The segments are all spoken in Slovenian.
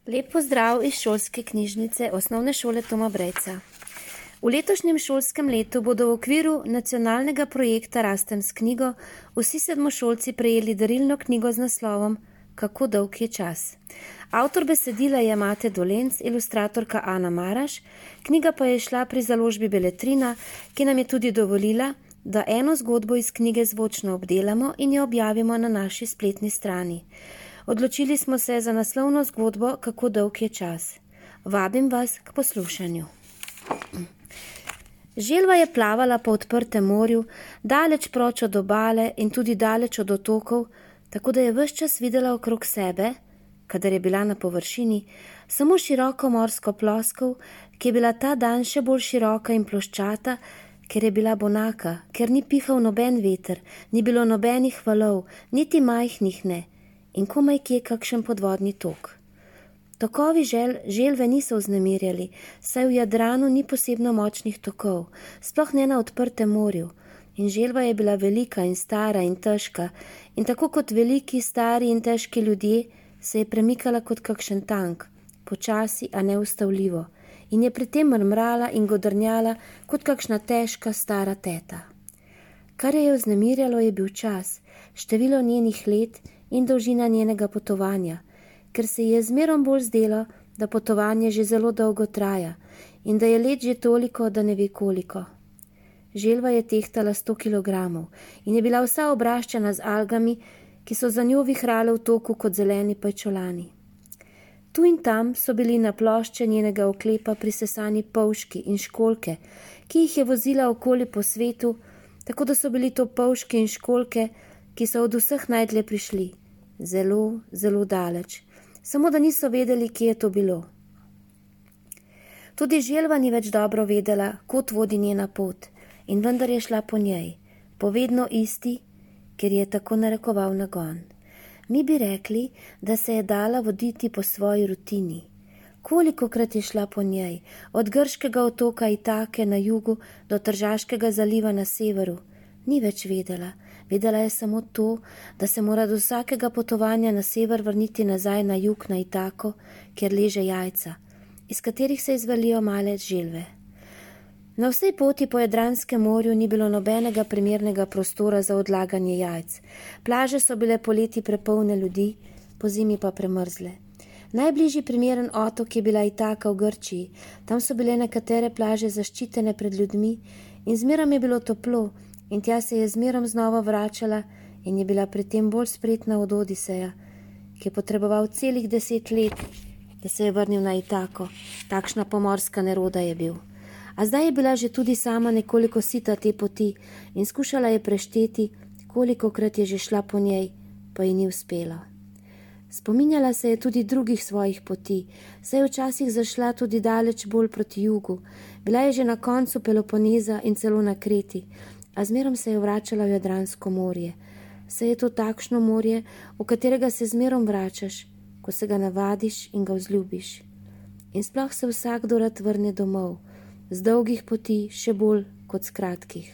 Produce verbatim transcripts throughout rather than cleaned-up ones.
Lep pozdrav iz šolske knjižnice Osnovne šole Toma Brejca. V letošnjem šolskem letu bodo v okviru nacionalnega projekta Rastem s knjigo vsi sedmošolci prejeli darilno knjigo z naslovom Kako dolg je čas. Avtor besedila je Mate Dolenc, ilustratorka Ana Maraš, knjiga pa je šla pri založbi Beletrina, ki nam je tudi dovolila, da eno zgodbo iz knjige zvočno obdelamo in jo objavimo na naši spletni strani. Odločili smo se za naslovno zgodbo Kako dolg je čas. Vabim vas k poslušanju. Želva je plavala po odprtem morju, daleč proč od obale in tudi daleč od otokov, tako da je ves čas videla okrog sebe, kadar je bila na površini, samo široko morsko ploskov, ki je bila ta dan še bolj široka in ploščata, ker je bila bonaka, ker ni pihal noben veter, ni bilo nobenih valov, niti majhnih ne, in komaj kje kakšen podvodni tok. Tokovi žel, želve niso vznemirjali, saj v Jadranu ni posebno močnih tokov, sploh ne na odprtem morju, in želva je bila velika in stara in težka, in tako kot veliki, stari in težki ljudje se je premikala kot kakšen tank, počasi, a neustavljivo, in je pri tem mrmrala in godrnjala kot kakšna težka stara teta. Kar je jo vznemirjalo, je bil čas, število njenih let in dolžina njenega potovanja, ker se ji je zmerom bolj zdelo, da potovanje že zelo dolgo traja in da je let že toliko, da ne ve koliko. Želva je tehtala sto kilogramov in je bila vsa obraščena z algami, ki so za njo vihrale v toku kot zeleni pajčolani. Tu in tam so bili na plošče njenega oklepa prisesani polžki in školjke, ki jih je vozila okoli po svetu, tako da so bili to polžki in školjke, ki so od vseh najdlje prišli, zelo, zelo daleč, samo da niso vedeli, kje je to bilo. Tudi želva ni več dobro vedela, kot vodi njena pot, in vendar je šla po njej, po vedno isti, ker je tako narekoval nagon. Mi bi rekli, da se je dala voditi po svoji rutini. Kolikokrat je šla po njej, od grškega otoka Itake na jugu do Tržaškega zaliva na severu, ni več vedela. Vedela je samo to, da se mora do vsakega potovanja na sever vrniti nazaj na jug na Itako, kjer leže jajca, iz katerih se izvalijo male želve. Na vsej poti po Jadranskem morju ni bilo nobenega primernega prostora za odlaganje jajc. Plaže so bile poleti prepolne ljudi, pozimi pa premrzle. Najbližji primeren otok je bila Itaka v Grčiji, tam so bile nekatere plaže zaščitene pred ljudmi in zmerom je bilo toplo, in tja se je zmerom znova vračala in je bila pri tem bolj spretna od Odiseja, ki je potreboval celih deset let, da se je vrnil na Itako. Takšna pomorska neroda je bil. A zdaj je bila že tudi sama nekoliko sita te poti in skušala je prešteti, kolikokrat je že šla po njej, pa ji ni uspelo. Spominjala se je tudi drugih svojih poti, saj je včasih zašla tudi daleč bolj proti jugu. Bila je že na koncu Peloponeza in celo na Kreti, a zmerom se je vračala v Jadransko morje. Saj je to takšno morje, v katerega se zmerom vračaš, ko se ga navadiš in ga vzljubiš. In sploh se vsakdo rad vrne domov, z dolgih poti še bolj kot z kratkih.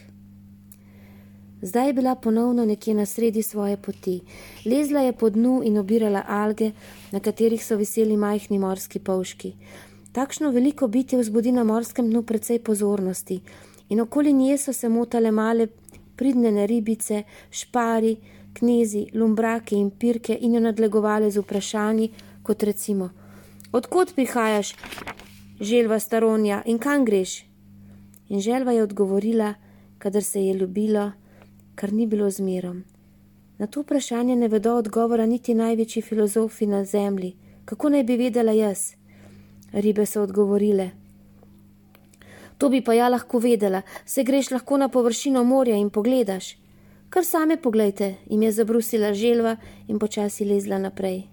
Zdaj je bila ponovno nekje na sredi svoje poti. Lezla je po dnu in obirala alge, na katerih so viseli majhni morski polžki. Takšno veliko bitje vzbudi na morskem dnu precej pozornosti, in okoli nje so se motale male pridnene ribice, špari, knezi, lumbrake in pirke in jo nadlegovale z vprašanji, kot recimo: Odkot prihajaš, želva staronja, in kam greš? In želva je odgovorila, kadar se je ljubilo, kar ni bilo zmerom. Na to vprašanje ne vedo odgovora niti največji filozofi na zemlji. Kako naj bi vedela jaz? Ribe so odgovorile: To bi pa ja lahko vedela, se greš lahko na površino morja in pogledaš. Kar same poglejte, jim je zabrusila želva in počasi lezla naprej.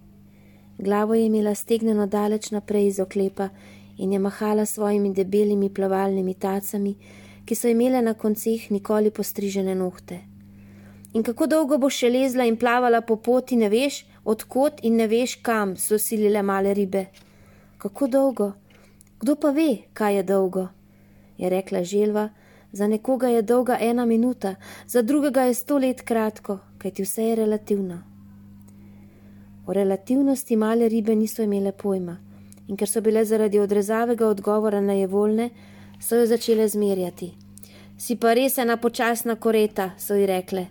Glavo je imela stegneno daleč naprej iz oklepa in je mahala svojimi debelimi plavalnimi tacami, ki so imele na konceh nikoli postrižene nohte. In kako dolgo boš še lezla in plavala po poti, ne veš, odkot in ne veš kam, so silile male ribe. Kako dolgo? Kdo pa ve, kaj je dolgo? Je rekla želva, za nekoga je dolga ena minuta, za drugega je sto let kratko, kajti vse je relativno. O relativnosti male ribe niso imele pojma. in ker so bile zaradi odrezavega odgovora nejevoljne, so jo začele zmerjati. Si pa res ena počasna koreta, so ji rekle.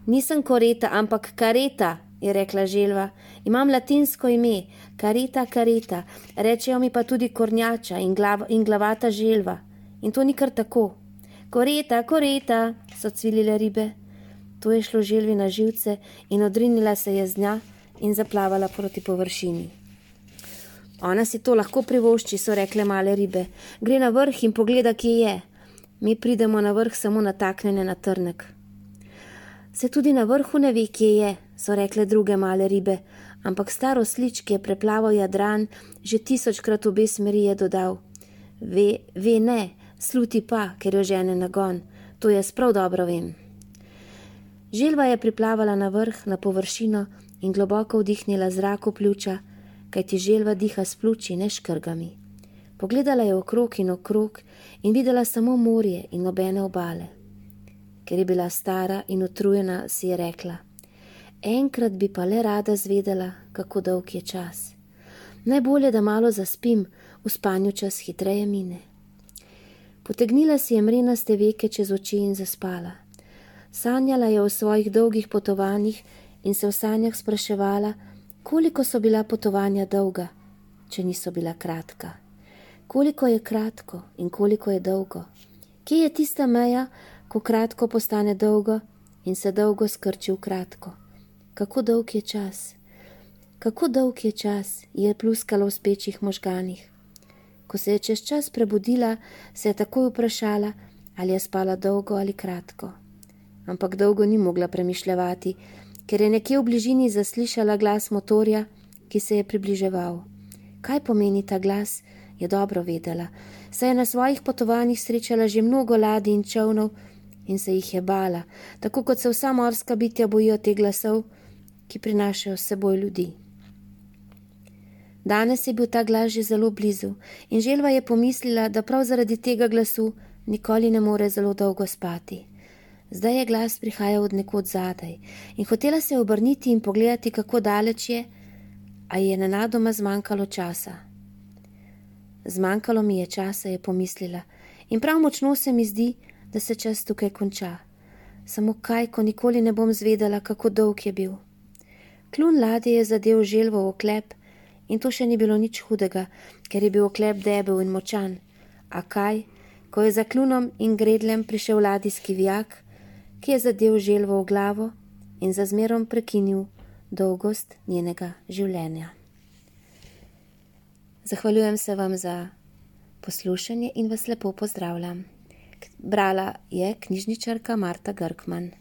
Nisem koreta, ampak kareta, je rekla želva. Imam latinsko ime, kareta, kareta, rečejo mi pa tudi kornjača in, glav, in glavata želva. In to ni kar tako. Koreta, koreta, so cvilile ribe. To je šlo želvi na živce in odrinila se je z dna in zaplavala proti površini. Ona si to lahko privošči, so rekle male ribe. Gre na vrh in pogleda, kje je. Mi pridemo na vrh samo nataknjene na trnek. Se tudi na vrhu ne ve, kje je, so rekle druge male ribe, ampak star oslič, ki je preplaval Jadran, že tisočkrat obe smeri je dodal. Ve, ve ne, sluti pa, ker jo žene nagon, to jaz prav dobro vem. Želva je priplavala na vrh, na površino in globoko vdihnila zrak v pljuča, kajti želva diha s pljuči, ne škrgami. Pogledala je okrog in okrog in videla samo morje in nobene obale. Ker je bila stara in utrujena, si je rekla, enkrat bi pa le rada zvedela, kako dolg je čas. Najbolje, da malo zaspim, v spanju čas hitreje mine. Potegnila si je mrenaste veke čez oči in zaspala. Sanjala je o svojih dolgih potovanjih in se v sanjah spraševala, koliko so bila potovanja dolga, če niso bila kratka. Koliko je kratko in koliko je dolgo? Kje je tista meja, ko kratko postane dolgo in se dolgo skrči v kratko? Kako dolg je čas? Kako dolg je čas, je pluskalo v spečih možganih. Ko se je čez čas prebudila, se je takoj vprašala, ali je spala dolgo ali kratko. Ampak dolgo ni mogla premišljevati, ker je nekje v bližini zaslišala glas motorja, ki se je približeval. Kaj pomeni ta glas, je dobro vedela, saj je na svojih potovanjih srečala že mnogo ladij in čolnov in se jih je bala, tako kot se vsa morska bitja bojijo te glasov, ki prinašajo s seboj ljudi. Danes je bil ta glas že zelo blizu in želva je pomislila, da prav zaradi tega glasu nikoli ne more zelo dolgo spati. Zdaj je glas prihajal od nekod zadaj in hotela se obrniti in pogledati, kako daleč je, a je nenadoma zmanjkalo časa. Zmanjkalo mi je časa, je pomislila, in prav močno se mi zdi, da se čas tukaj konča. Samo kaj, ko nikoli ne bom zvedela, kako dolg je bil. Kljun ladje je zadel želvo v oklep in to še ni bilo nič hudega, ker je bil oklep debel in močan. A kaj, ko je za klunom in gredlem prišel ladijski vijak, ki je zadel želvo v glavo in za zmerom prekinil dolgost njenega življenja. Zahvaljujem se vam za poslušanje in vas lepo pozdravljam. Brala je knjižničarka Marta Grkman.